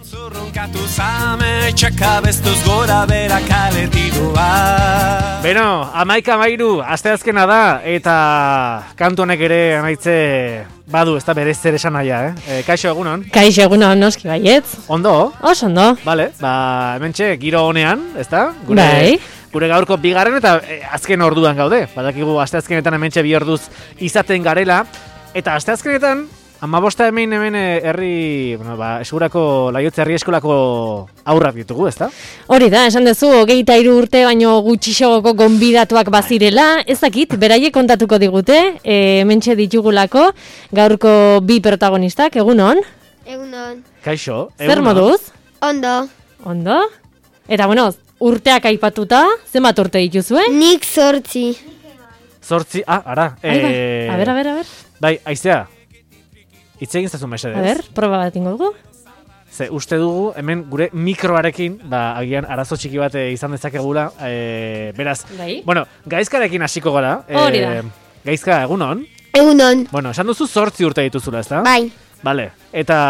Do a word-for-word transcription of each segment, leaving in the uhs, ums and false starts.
Zurrunkatu zame, txakabestuz gora bera kaletidua. Beno, amaika amairu, asteazkena da, eta kantu honek ere anaitze badu, ez da berez zer esan naia, eh? E, kaixo egunon? Kaixo egunon, noski baietz. Ondo? Oso ondo. Bale, ba, hementxe, giro honean, ez da? Gure, bai. Gure gaurko bigarren eta e, azken orduan gaude. Badakigu asteazkenetan hementxe bi orduz izaten garela, eta asteazkenetan, amabosta hemen hemen herri, bueno, ba, eskurako Laiotze herri eskolako aurrak ditugu, ezta? Hori da, esan duzu, hogeita hiru urte baino gutxixogoko gonbidatuak bazirela, ez dakit, beraiek kontatuko digute, e, hementxe ditugulako, gaurko bi protagonistak, egunon? Egunon. Kaixo, Zer egunon. moduz? Ondo. Ondo? Eta, bueno, urteak aipatuta, zenbat urte dituzue? Nik zortzi. Zortzi, ah, ara. Ai, bai. eh, A ber, a ber, a ber. Bai, aizea. Hitz egin zazu mesedez. A ber, proba bat ingo dugu. Ze uste dugu hemen gure mikroarekin, ba, agian arazo txiki bat eh, izan dezakegula, e, beraz, Bai. bueno, gaizkarekin hasiko gara. Hori da. Gaizka, egunon? Egunon. Bueno, esan duzu zortzi urte dituzula, ezta? Bai. Bale, eta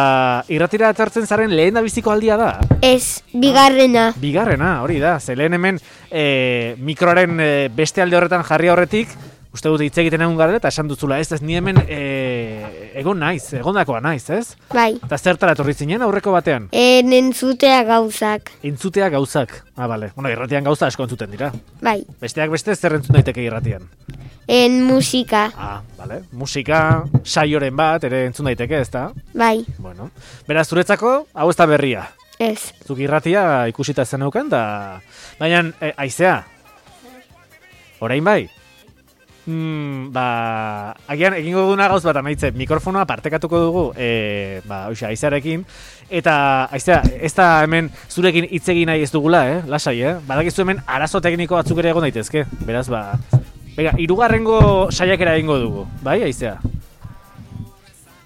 irratira etortzen zaren lehen da biziko aldia da? Ez, bigarrena. Bigarrena, hori da, ze lehen hemen e, mikroaren e, beste alde horretan jarri horretik, uste dut hitz egiten egun garela, eta esan duzula, ez, ez ni hemen e, egon naiz, egondakoa naiz, ez? Bai. Eta zertara etorri zinen aurreko batean? En entzutea gauzak. Entzutea gauzak. Ah, bale. Bueno, irratian gauza asko entzuten dira. Bai. Besteak beste zer entzun daiteke irratian? En musika. Ah, bale. Musika, saioren bat, ere entzun daiteke, ezta? Bai. Bueno. Beraz, zuretzako, hau ez da berria. Ez. Zuk irratia ikusita zen neukan, da... Baina, e, aizea. Orain bai? Mm, ba, agian egingo duguna gauz bat amaitze, mikrofonoa partekatuko dugu, e, ba, oixe, aizearekin, eta, aizea, ez da hemen zurekin hitz egin nahi ez dugula, eh? Lasai, eh? Badakizu hemen arazo tekniko batzuk ere egon daitezke, beraz, ba, bega, hirugarrengo saiakera egingo dugu, bai, aizea?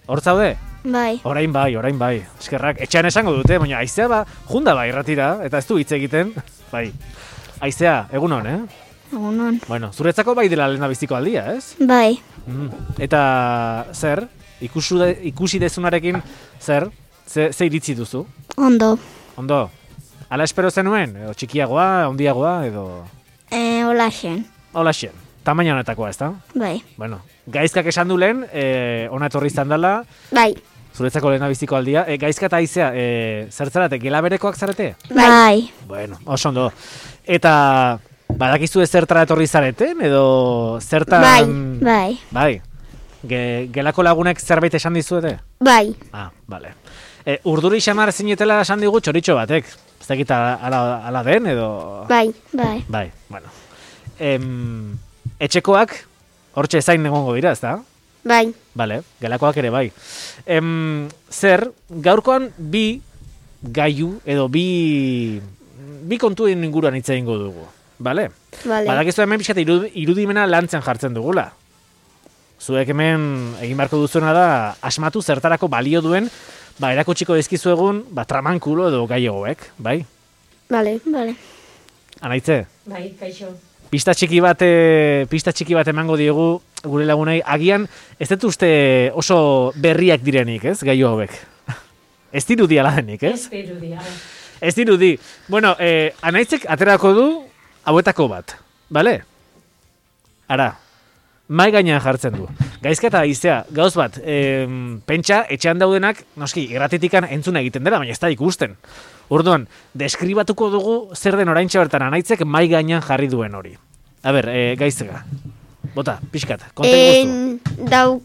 Hor zaude? Bai. Orain bai, orain bai, eskerrak, etxean esango dute, baina aizea, ba, junda bai, irratira, eta ez du hitz egiten, bai, aizea, egunon, eh? Egunon. Bueno, zuretzako bai dela lehena biziko aldia, ez? Bai. Mm. Eta zer, ikusu de, ikusi dezunarekin, zer, ze, ze iritzi duzu? Ondo. Ondo, ala espero zenuen? Edo txikiagoa, handiagoa, edo... E, Olaxen. Holaxen, tamaina honetakoa, ez da? Bai. Bueno, gaizkak esan du lehen, e, ona etorri izan dela, Bai. zuretzako lehena biziko aldia. E, gaizka eta aizea, e, zer zarate, gela berekoak zarete? Bai. Bueno, oso ondo. Eta... Badakizu ez zertara etorri zareten, edo zertan... Bai, bai. Bai. Ge, gelako lagunek zerbait esan dizuete? Bai. Ah, bale. E, urduri xamar zinetela esan digu txoritxo batek. Ez dakit ala, ala den, edo... Bai, bai. Bai, bueno. Em, etxekoak, hortxe zain egongo dira, ez da? Bai. Bale, gelakoak ere bai. Em, zer, gaurkoan bi gaiu, edo bi... Bi kontuen inguruan hitz egingo dugu. Bale? Vale. Badakizu hemen pixkat irudimena lantzen jartzen dugula. Zuek hemen egin beharko duzuena da asmatu zertarako balio duen, ba, erakutsiko dizkizu egun, ba, tramankulo edo gaiogoek, bai? Vale, vale. Anaitze? Bai, kaixo. Pista txiki bat, pista txiki bat emango diegu gure lagunei, agian ez dut uste oso berriak direnik, ez, gaio hauek. Ez dirudi ala denik, ez? Ez dirudi, Ez dirudi. Bueno, eh, Anaitzek aterako du hauetako bat, bale? Ara, mai gainean jartzen du. Gaizka eta aizea, gauz bat, em, pentsa, etxean daudenak, noski, irratitikan entzuna egiten dela, baina ez da ikusten. Orduan, deskribatuko dugu zer den oraintxe bertan Anaitzek mai gainean jarri duen hori. A ber, e, gaiztega, bota, pixkat, konta iguzu. Dau,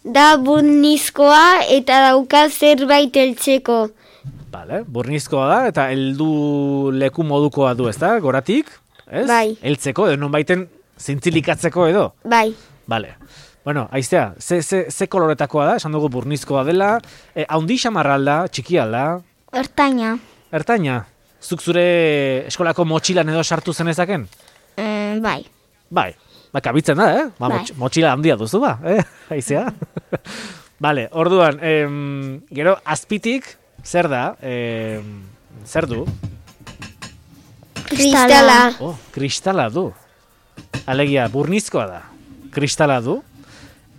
da burnizkoa eta dauka zerbait heltzeko. Vale, burnizkoa da, eta heldu leku modukoa du, ez da, goratik? Ez? Bai. Heltzeko, edo non baiten zintzilikatzeko edo? Bai. Vale. Bueno, aiztea, ze, ze, ze koloretakoa da, esan dugu burnizkoa dela, e, haundi xamarra alda, txiki alda? Ertaina. Ertaina, zuk zure eskolako motxilan edo sartu zenezaken? E, bai. Bai, ba, kabitzen da, eh? Ba, Bai. motx, motxila handia duzu, ba, eh? Aizea? Vale, orduan, em, gero, azpitik, zer da, em, zer du? Kristala. Oh, kristala du. Alegia, burnizkoa da. Kristala du.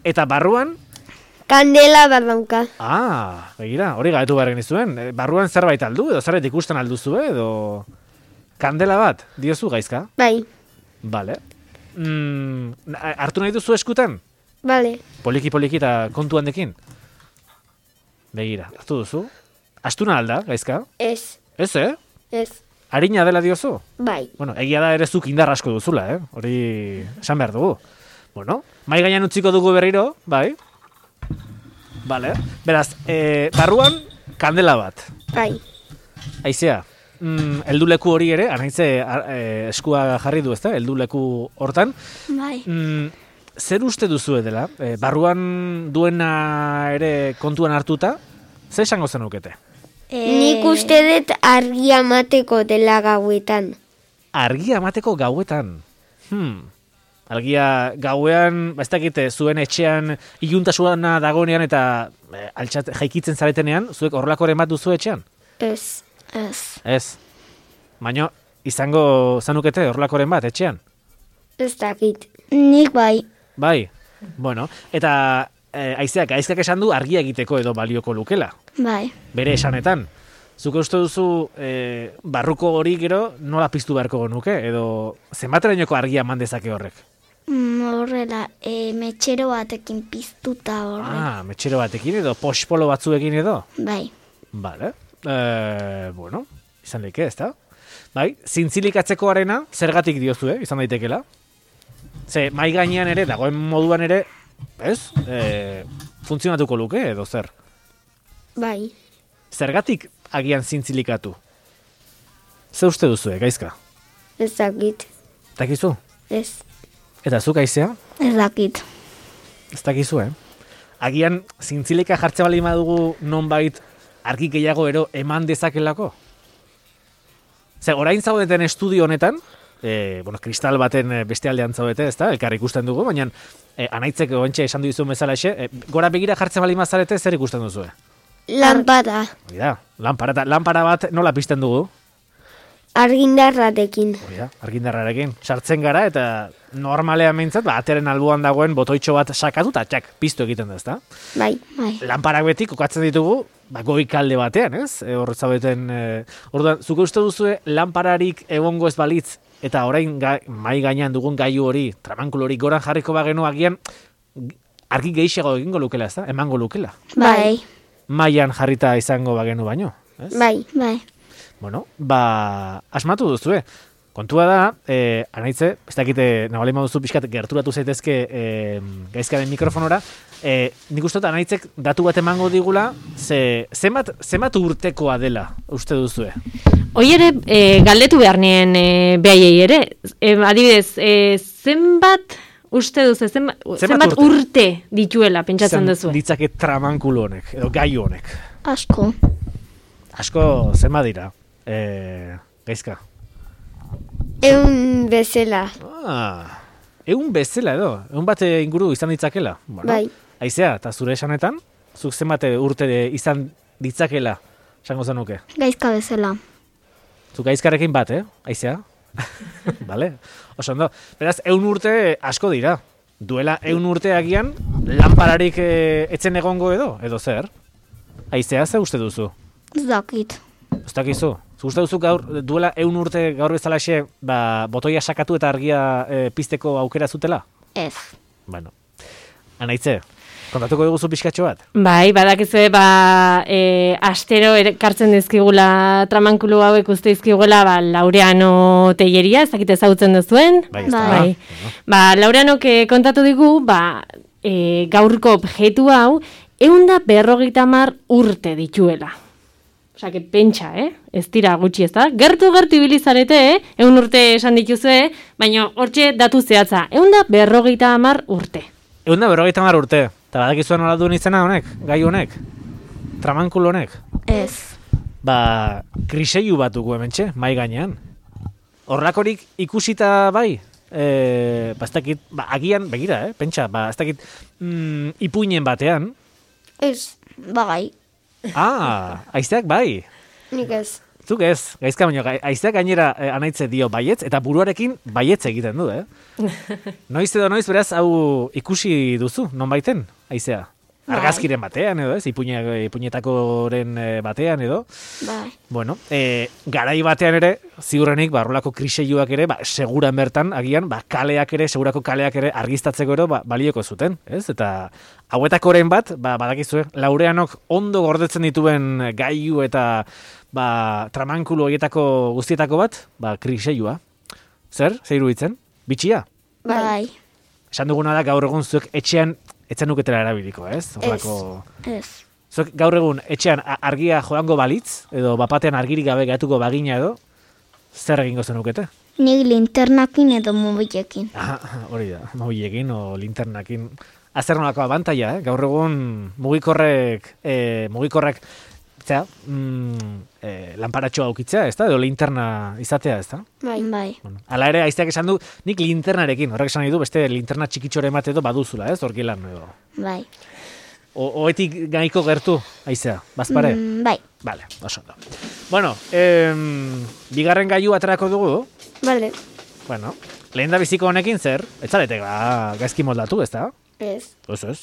Eta barruan, Kandela bat dauka. Ah, begira, hori galetu behar genizuen. E, barruan zerbait aldu, edo zerbait ikusten alduzu, edo... Kandela bat, diozu gaizka? Bai, Bale. Mm, hartu nahi duzu eskutan? bale. Poliki-poliki eta kontu handekin? Begira, hartu duzu? Astuna alda, gaizka? Ez, Ez, eh? ez. Harina dela diozu? Bai, Bueno, egia da ere zuk indar asko duzula, eh? Hori esan behar dugu. Bueno, mai gainean utziko dugu berriro, bai? Vale. Beraz, e, barruan kandela bat. bai. Aizea, mm, helduleku hori ere, anaitze e, eskua jarri du, ezta? Helduleku hortan. Bai. Mm, zer uste duzu dela? E, barruan duena ere kontuan hartuta, zer esango zenukete? Nik uste dut argia mateko dela gauetan. Argia emateko gauetan. Hmm. Argia gauean, ba ez dakite, zuen etxean iluntasuna dagoenean eta e, altxat jaikitzen zaretenean, zuek horrelakoren bat duzu etxean? Ez, ez. Ez. Baina izango zanukete horrelakoren bat etxean? Ez dakit. Nik bai. Bai. Bueno, eta e, aizeak aizkak esan du argia egiteko edo balioko lukela. Bai. Bere esanetan. Zuke uste duzu e, barruko hori gero nola piztu beharko genuke edo zenbaterainoko argia eman dezake horrek? Mm, horrela, e, metxero batekin piztuta horrela. Ah, metxero batekin edo pospolo batzuekin edo? Bai. Vale. E, bueno, izan leike, ezta? Bai, zintzilikatzeko arena zergatik diozue, izan daitekela? Ze, mai gainean ere, dagoen moduan ere, ez? E, funtzionatuko luke edo zer? Bai. Zergatik agian zintzilikatu? Ze uste duzue, gaizka? Ez dakit. Dakizu? Ez. Eta zuk aizea? Ez dakit. Ez dakizu, eh? Agian zintzilika jartze bali madugu nonbait argi gehiago ero eman dezakelako? Ze, orain zaudeten estudio honetan, e, bueno, kristal baten beste aldean zaudete, ezta? Elkar ikusten dugu, baina e, anaitzek gontxe esan duzuen bezala exe, e, gora begira jartze bali mazarete zer ikusten duzue? Lanpara. Hori da, lanpara, lanpara bat nola pizten dugu? Argindarratekin. Hori da, argindarrarekin. Sartzen gara eta normalean behintzat, ba, ateren alboan dagoen botoitxo bat sakatu eta txak, piztu egiten da, ezta? Bai. Bai. Lanparak beti kokatzen ditugu, ba, goikalde batean, ez? E, hor zaudeten, e, orduan, zuke uste duzue lanpararik egongo ez balitz, eta orain ga, mai gainean dugun gailu hori, tramankulu hori goran jarriko bagenu agian, argi gehiago egingo lukela, ezta? Emango lukela. Bai. Maian jarrita izango bagenu baino, ez? Bai. Bai. Bueno, ba, asmatu duzue. Kontua da, eh, anaitze, ez dakite, nabalima duzu pixkat gerturatu zaitezke eh, gaizkaren mikrofonora, eh, nik uste dut anaitzek datu bat emango digula, ze, zenbat, zenbat urtekoa dela, uste duzue? Hoi ere, e, galdetu behar nien e, behaiei ere, e, adibidez, e, zenbat uste duzu, zenbat, Zenbat zenbat urte? urte dituela pentsatzen Zan duzu? ditzake tramankulu honek, edo gaiu honek. Asko. Asko, zenbat dira, eh, gaizka? Eun bezala. Ah, egun bezala edo, egun bat inguru izan ditzakela. Bueno, Bai. Aizea, eta zure esanetan, zuk zenbat urte izan ditzakela, esango zenuke. Gaizka bezala. Zuk aizkarrekin bat, eh? Aizea? Vale, oso ondo. Beraz, eun urte asko dira. Duela eun urte agian, lanpararik e, etzen egongo edo, edo zer? Aizea, ze uste duzu? Ez dakit. Ez dakizu? Zu uste duzu gaur, duela eun urte gaur bezalaxe, ba, botoia sakatu eta argia e, pizteko aukera zutela? Ez. Bueno, anaitze, kontatuko dugu zu pixkatxo bat? Bai, badakizue, ba, e, astero ekartzen dizkigula tramankulu hauek uste dizkigula, ba, Laureano Telleria, ez dakit ezagutzen duzuen. Bai, ez da. Bai. Bueno. Ba, Laureanok eh, kontatu digu, ba, e, gaurko objektu hau, eunda berrogeita hamar urte dituela. Osa, que pentsa, eh? Ez dira gutxi ez da. Gertu gertu ibilizarete, eh? Eun urte esan dituzue, baina hortxe datu zehatza. Eunda berrogeita hamar urte. Egun da, berrogeita hamar urte. Eta badakizuen nola duen izena honek, gai honek, tramankulu honek. Ez. Ba, kriseiu bat dugu hementxe, mai gainean. Horrakorik ikusita bai, e, ba, ez dakit, ba, agian, begira, eh, pentsa, ba, ez dakit, mm, ipuinen batean. Ez. Bagai. Ah, aizeak bai. Nik ez. Zuk ez, gaizka baino, gai- aizeak gainera e, anaitze dio baietz, eta buruarekin baietz egiten du, eh? Noiz edo noiz, beraz, hau ikusi duzu, non baiten, aizea? argazkiren batean edo, ez? Ipuña, ipuñetakoren batean edo. Bai. Bueno, e, garai batean ere, ziurrenik, barrolako kriseiuak ere, ba, seguran bertan, agian, ba, kaleak ere, segurako kaleak ere argiztatzeko ero, ba, balioko zuten, ez? Eta hauetakoren bat, ba, badakizue, Laureanok ondo gordetzen dituen gailu eta ba, tramankulu horietako guztietako bat, ba, kriseiua. Zer? Zer iruditzen? Bitxia? Bai. Esan duguna da gaur egun zuek etxean etzen nuketela erabiliko, ez? Horrako... Ez. Zuek gaur egun etxean argia joango balitz, edo bapatean argirik gabe gatuko bagina edo, zer egingo zenukete? Nik linternakin edo mobilekin. Ah, hori da, mobilekin o linternakin. Azer nolako abantaia, eh? Gaur egun mugikorrek, eh, mugikorrek, zera, mm, eh, lanparatxoa aukitzea, ez da? Edo linterna izatea, ez da? Bai. Bai. Bueno, ala ere, aizteak esan du, nik linternarekin, horrek esan nahi du, beste linterna txikitxore emate edo baduzula, ez? Horkilan edo. Bai. O, oetik gaiko gertu, aizea, bazpare? Mm, bai. Vale, oso ondo. Bueno, em, bigarren gailu aterako dugu. Vale. Bueno, lehen da biziko honekin zer? Etzaretek, ba, gaizki moldatu, ez da? Ez. Ez, ez.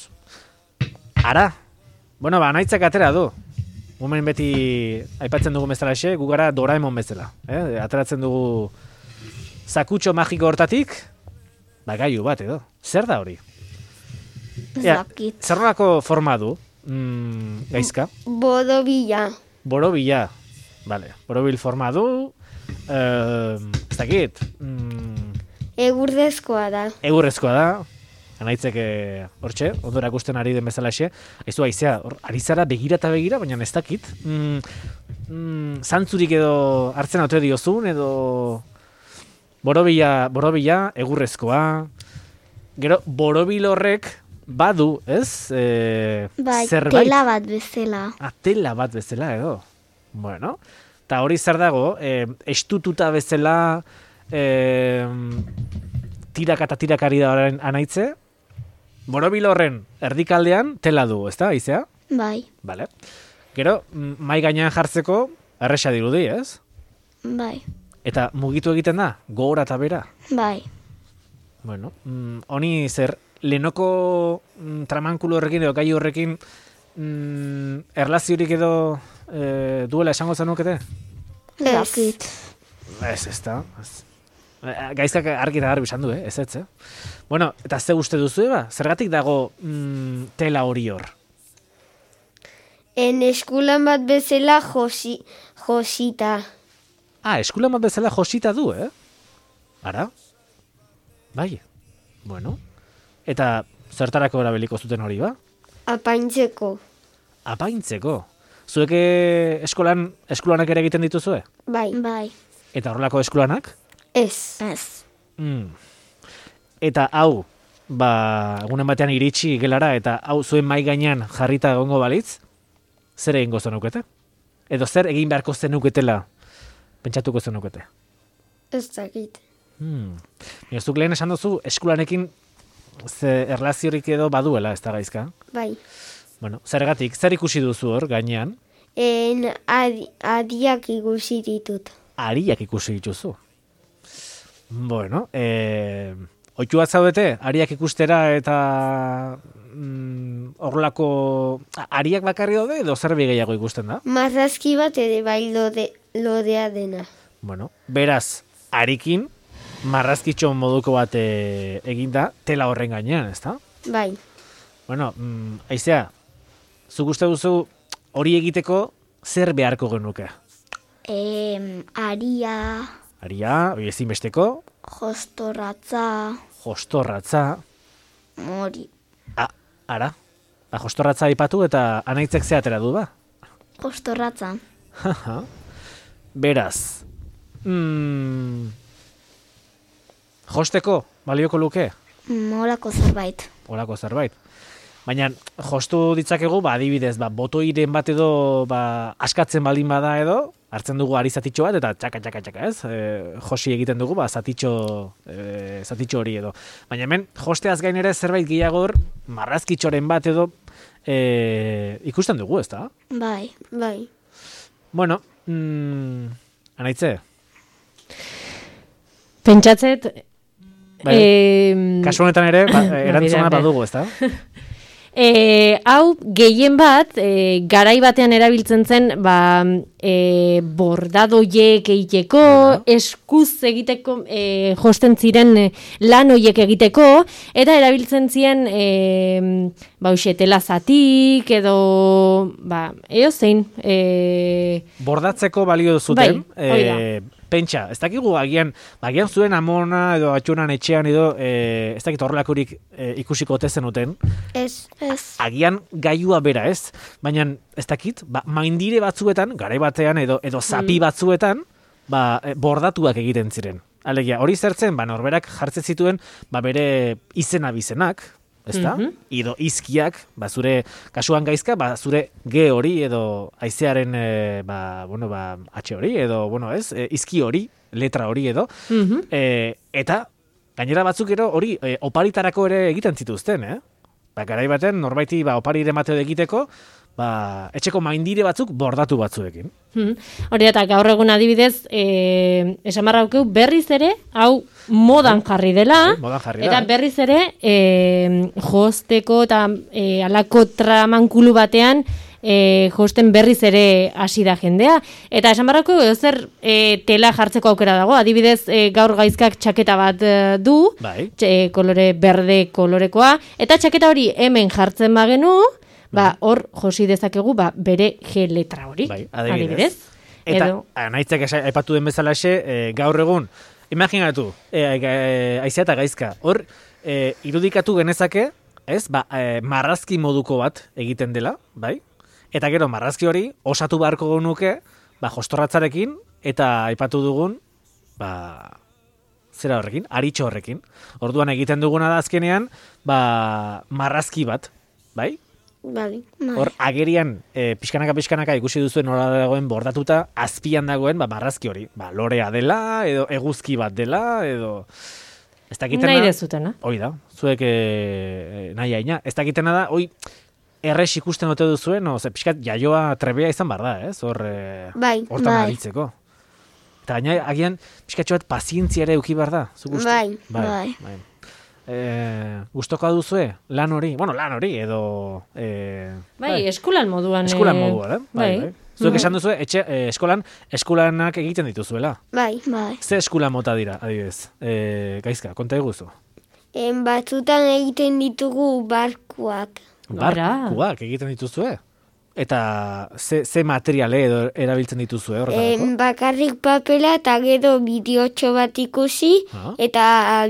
Ara, bueno, ba, nahitzak atera du. Hemen beti aipatzen dugu bezalaxe, gu gara Doraemon bezala. Eh? Ateratzen dugu zakutxo magiko hortatik, ba, gailu bat edo. Zer da hori? Ja, Zakit. zer nolako forma du, mm, gaizka? Borobila. Borobila. Vale, borobil forma du, eh, ez dakit, mm, Egurdezkoa da. egurrezkoa da, anaitzek hortxe, ondo erakusten ari den bezalaxe, aizu aizea, hor, ari zara begira eta begira, baina ez dakit, mm, mm, zantzurik edo hartzen ote diozun, edo borobila, borobila, egurrezkoa, gero borobil horrek badu, ez? E, Bai, zerbait. tela bat bezala. Ah, tela bat bezala edo. Bueno, eta hori zer dago, e, estututa bezala, e, tiraka eta tirakari da horren anaitze, borobil horren erdikaldean tela du, ezta, aizea? Bai. Vale. Gero, mm, mai gainean jartzeko erresa dirudi, ez? Bai. Eta mugitu egiten da, gora eta bera. Bai. Bueno, mm, honi zer, lehenoko mm, tramankulu horrekin edo gai horrekin mm, erlaziorik edo e, duela esango zenukete? Zakit. Ez, ez da. Ez. Gaizkak argi eta garbi esan du, eh? Ez ez, eh? Bueno, eta ze uste duzu, eba? Zergatik dago mm, tela hori hor? En eskulan bat bezala josi, josita. Ah, eskulan bat bezala josita du, eh? Ara? Bai. Bueno. Eta zertarako erabiliko zuten hori, ba? Apaintzeko. Apaintzeko. Zuek eh, eskolan, eskulanak ere egiten dituzue? Bai. Bai. Eta horrelako eskulanak? Ez. Ez. Mm. Eta hau, ba, egunen batean iritsi gelara, eta hau zuen mai gainean jarrita egongo balitz, zer egingo zenukete? Edo zer egin beharko zenuketela pentsatuko zenukete? Ez dakit. Hmm. Zuk lehen esan duzu, eskulanekin ze erlaziorik edo baduela, ez da gaizka? Bai. Bueno, zergatik, zer ikusi duzu hor gainean? En adi, adiak ikusi ditut. Ariak ikusi dituzu. Bueno, eh, oitua zaudete, ariak ikustera eta mm, horrelako ariak bakarri daude edo zerbi gehiago ikusten da? Marrazki bat ere bai lode, lodea dena. Bueno, beraz, arikin marrazkitxo moduko bat e, eginda tela horren gainean, ezta? Bai. Bueno, mm, aizea, zuk uste duzu hori egiteko zer beharko genuke? Em, aria, Aria, hori ezinbesteko, jostorratza, jostorratza, hori. a, ara, a, jostorratza aipatu eta anaitzek ze atera du ba? Jostorratza. Beraz, mm, josteko balioko luke? Molako zerbait. Horako zerbait. Baina jostu ditzakegu, ba, adibidez, ba, botoiren bat edo ba, askatzen baldin bada edo, hartzen dugu ari zatitxo bat, eta txaka, txaka, txaka, ez? E, josi egiten dugu, ba, zatitxo, e, zatitxo hori edo. Baina hemen, josteaz gain ere zerbait gehiago hor, marrazkitxoren bat edo, e, ikusten dugu, ez da? Bai. Bai. Bueno, mm, anaitze, Pentsatzet, bai, eh, kasu honetan ere, ba, erantzuna Bera, bera. badugu, ez da? E, hau, gehien bat, e, garai batean erabiltzen zen, ba, e, bordadoiek egiteko, eskuz egiteko, e, josten ziren e, lan hoiek egiteko, eta erabiltzen ziren, e, ba, uxe, telazatik, edo, ba, eo zein. E... Bordatzeko balio zuten, bai, e, pentsa, ez dakigu agian, agian zuen amona edo atxunan etxean edo, e, ez dakit horrelakurik e, ikusiko ote zenuten. Ez, ez. Agian gailua bera, ez? Baina ez dakit, ba, maindire batzuetan, garai batean edo edo zapi Mm. batzuetan, ba, e, bordatuak egiten ziren. Alegia, hori zertzen, ba, norberak jartzen zituen, ba, bere izena bizenak, ezta? Mhm. Edo izkiak, ba, zure kasuan gaizka, ba, zure G hori edo haizearen e, ba, bueno, ba, H hori edo, bueno, ez, e, izki hori, letra hori edo, Mhm. e, eta gainera batzuk ero hori e, oparitarako ere egiten zituzten, eh? Ba, garai baten norbaiti ba, opari emateo egiteko, ba, etxeko maindire batzuk bordatu batzuekin. Hmm. Hori eta gaur egun adibidez, eh, esan barraukeu berriz ere, hau modan jarri dela, Bai, modan jarri da, eta eh? berriz ere, eh, josteko eta eh, alako tramankulu batean, eh, josten berriz ere hasi da jendea. Eta esan barraukeu, zer eh, tela jartzeko aukera dago, adibidez eh, gaur gaizkak txaketa bat eh, du, Bai. txe- kolore berde kolorekoa, eta txaketa hori hemen jartzen bagenu, ba, hor josi dezakegu ba, bere G letra hori. Bai, adibidez. adibidez. Eta, Edo, nahitzak aipatu den bezalaxe, e, gaur egun, imaginatu, e, e, aizea eta gaizka, hor, e, irudikatu genezake, ez, ba, e, marrazki moduko bat egiten dela, bai? Eta gero, marrazki hori, osatu beharko genuke, ba, jostorratzarekin, eta aipatu dugun, ba, zera horrekin, aritxo horrekin. Orduan egiten duguna da azkenean, ba, marrazki bat, bai? Bali. Hor, agerian, e, pixkanaka-pixkanaka ikusi duzuen nola dagoen bordatuta, azpian dagoen, ba, marrazki hori. Ba, lorea dela, edo eguzki bat dela, edo... Ez dakitena... nahi dezutena. Hoi da, zuek e, nahi haina. Ez dakitena da, hoi, errex ikusten ote duzuen, o, ze pixkat jaioa trebea izan bar da, ez? Hor, e, Bai, hortan bai. aritzeko. Eta gaina, agian, pixkatxo bat pazientzia ere euki bar da, zuk uste? Bai, bai. bai. bai. E, gustoko duzue, lan hori, bueno, lan hori, edo... E, Bai, eskulan moduan. Eskulan eh, moduan, eh? Bai, bai. Zuek esan duzu, etxe, eh, eskolan, eskulanak egiten dituzuela. Bai, bai. Ze eskula mota dira, adibidez? E, gaizka, konta eguzu. En batzutan egiten ditugu barkuak. Barkuak egiten dituzue? Eta ze, ze materiale edo erabiltzen dituzue horretarako? En bakarrik papela eta gero bideotxo bat ikusi Ah. eta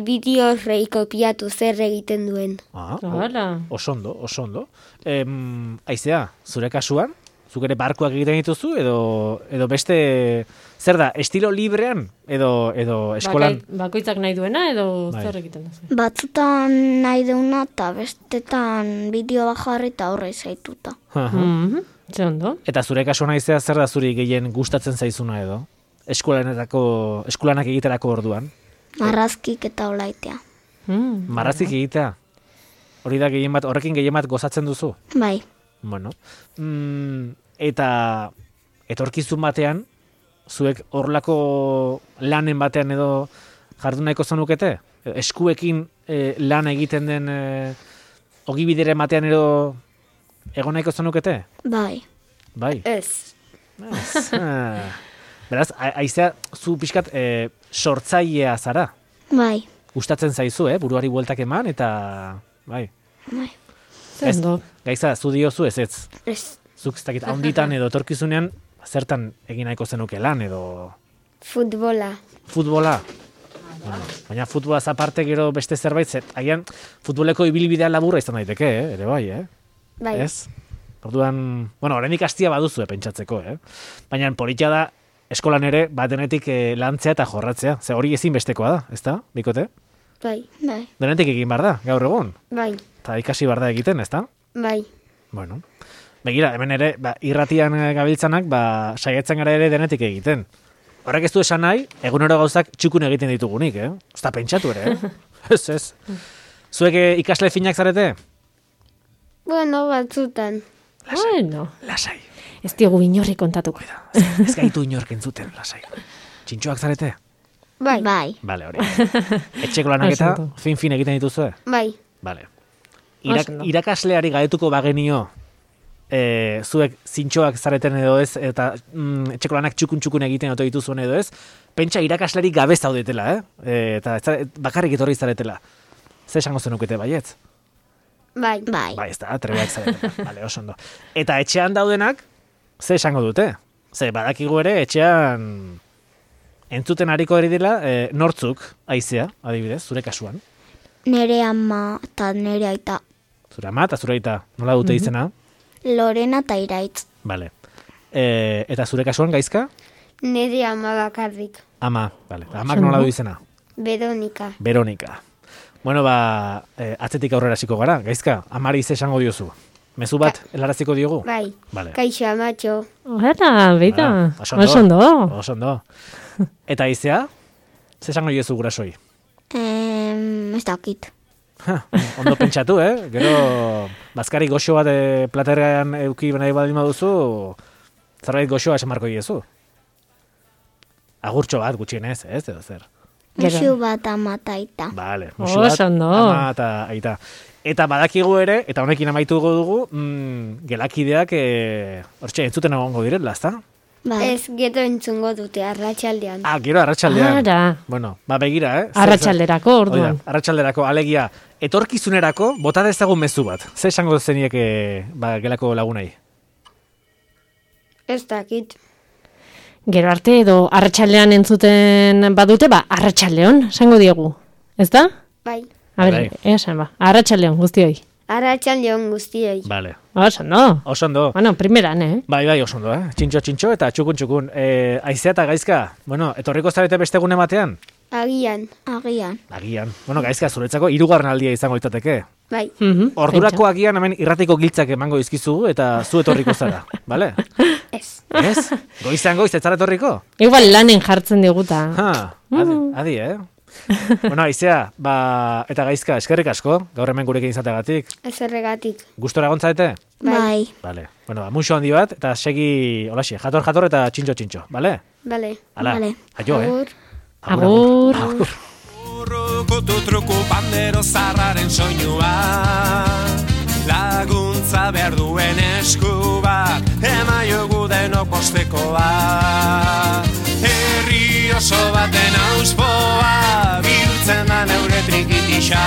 bideo horrei kopiatu zer egiten duen. Ah, o- Hala. osondo, osondo. Em, aizea, zure kasuan, zuk ere barkuak egiten dituzu, edo, edo beste, zer da, estilo librean, edo, edo eskolan... Bakai- bakoitzak nahi duena, edo Bai. zer egiten duzu. Batzutan nahi deuna eta bestetan bideo bajarri eta horre zaituta. Aha. Mhm, ze ondo. Eta zure kasuan aizea, zer da zuri gehien gustatzen zaizuna edo? Eskolanetako, eskolanak egiterako orduan? Marrazkik eta olaitea. Mm. Marrazik egitea? Hori da gehien bat, horrekin gehien bat gozatzen duzu? Bai, Bueno, mm, eta etorkizun batean, zuek horlako lanen batean edo jardun nahiko zenukete? Eskuekin eh, lan egiten den eh, ogibidere batean edo egon nahiko zenukete? bai. Bai. Ez. Ez. Ah. Beraz, a- aizea, zu pixkat eh, sortzailea zara. Bai, Gustatzen zaizu, eh? Buruari bueltak eman, eta... Bai. bai. Ze Ez. ondo. Gaiza, zu diozu ez ez. Ez. Zuk ez dakit, haunditan edo etorkizunean, zertan egin nahiko zenuke lan, edo Futbola. futbola. Bueno, baina futbolaz aparte gero beste zerbait, zet, agian futboleko ibilbidea laburra izan daiteke, eh? Ere bai, eh? Bai. Ez? Orduan, bueno, oraindik hastia baduzu pentsatzeko, eh? Baina politia da eskolan ere bat denetik eh, lantzea eta jorratzea. Ze hori ezinbestekoa da, ezta? Bikote? Bai, bai, Denetik egin bar da, gaur egun. bai, Eta ikasi bar da egiten, ezta? bai. Bueno. Begira, hemen ere, ba, irratian eh, gabiltzanak, ba, saiatzen gara ere denetik egiten. Horrek ez du esan nahi, egunero gauzak txukun egiten ditugunik, eh? Ez da pentsatu ere, eh? Ez, ez. Zuek eh, ikasle finak zarete? Bueno, batzutan. Bueno, Lasai. ez diogu inorri kontatuko. Ez, ez gaitu inork entzuten, lasai. Txintxoak zarete? Bai. Bai. Bale, hori. Etxeko lanak eta Oso ondo. fin-fin egiten dituzue? Bai. Bale. Irak, Oso ondo. irakasleari gaetuko bagenio, e, zuek zintxoak zareten edo ez, eta mm, etxeko lanak txukun-txukun egiten oto dituzuen edo ez, pentsa irakasleari gabe zaudetela, eh? E, eta ez zare- bakarrik etorri zaretela. Ze esango zenukete baietz? Bai. Bai. Bai, ez da, trebeak zaretela. Vale, oso ondo. Eta etxean daudenak, ze esango dute? Ze, badakigu ere, etxean entzuten hariko eri dela, e, nortzuk, aizea, adibidez, zure kasuan. Nere ama eta nere aita. Zure ama eta zure aita, nola dute izena? Lorena eta Iraitz. Vale. E, eta zure kasuan, gaizka? Nire ama bakarrik. Ama, vale. Amak nola du izena? Veronika. Veronika. Bueno, ba, e, atzetik aurrera hasiko gara, gaizka, amari ze esango diozu. Mezu bat helaraziko diogu? Bai. Vale. Kaixo amatxo. Hala, beita. Ah, oso ondo. Oso ondo. Oso ondo. Eta izea? Ze esango diozu gurasoi? Em, ez dakit. Ha, ondo pentsatu, eh? Gero, bazkari goxo bat e, platerrean euki nahi baldin baduzu, zerbait goxoa esan marko diezu. Agurtxo bat gutxienez, ez? Edo zer. Gero. Musu bat ama eta aita. Vale, musu bat, Oso ondo. ama eta aita. Eta badakigu ere, eta honekin amaituko dugu, mm, gelakideak, e, hortxe, entzuten egongo direla, ezta? Bai. Ez gero entzungo dute arratsaldean. Ah, gero arratsaldean. Ara. Bueno, ba begira, eh? Zer- Arratsalderako, zer- orduan. Hori da, arratsalderako, alegia, etorkizunerako, bota dezagun mezu bat. Ze esango zenieke, ba, gelako lagunai? Ez dakit. Gero arte edo arratsaldean entzuten badute, ba, arratsaldeon, esango diegu. Ez da? Bai. A ber, Bai. esan ba, arratsaldeon guztioi. Arratsaldeon guztioi. Vale. Oso ondo. Oso ondo. Bueno, primeran, eh? Bai, bai, oso ondo, eh? Txintxo, txintxo eta txukun, txukun. E, aizea eta gaizka, bueno, etorriko zarete beste gune batean? Agian. Agian. Agian. Bueno, gaizka, zuretzako hirugarren aldia izango litzateke. Bai. Mhm, Ordurako agian hemen irratiko giltzak emango dizkizugu eta zu etorriko zara, bale? Ez. Ez? Goizan goiz, ez zara etorriko? pentsa. Igual lanen jartzen diguta. Ha, adi, adi, eh? Bueno, aizea, ba, eta gaizka, eskerrik asko, gaur hemen gurekin izateagatik. Ez erregatik. Gustora gontzarete? Bai. Vale. Bueno, ba, muxo handi bat, eta segi, holaxe, jator, jator, eta txintxo, txintxo, bale? Bale. Hala, Vale. aio, eh? Agur. Agur. Agur. Urrukutu truku pandero zarraren soinua, laguntza behar duen esku bat, emaiogu denok postekoa. Herri oso baten auspoa, bihurtzen da neure trikitisa.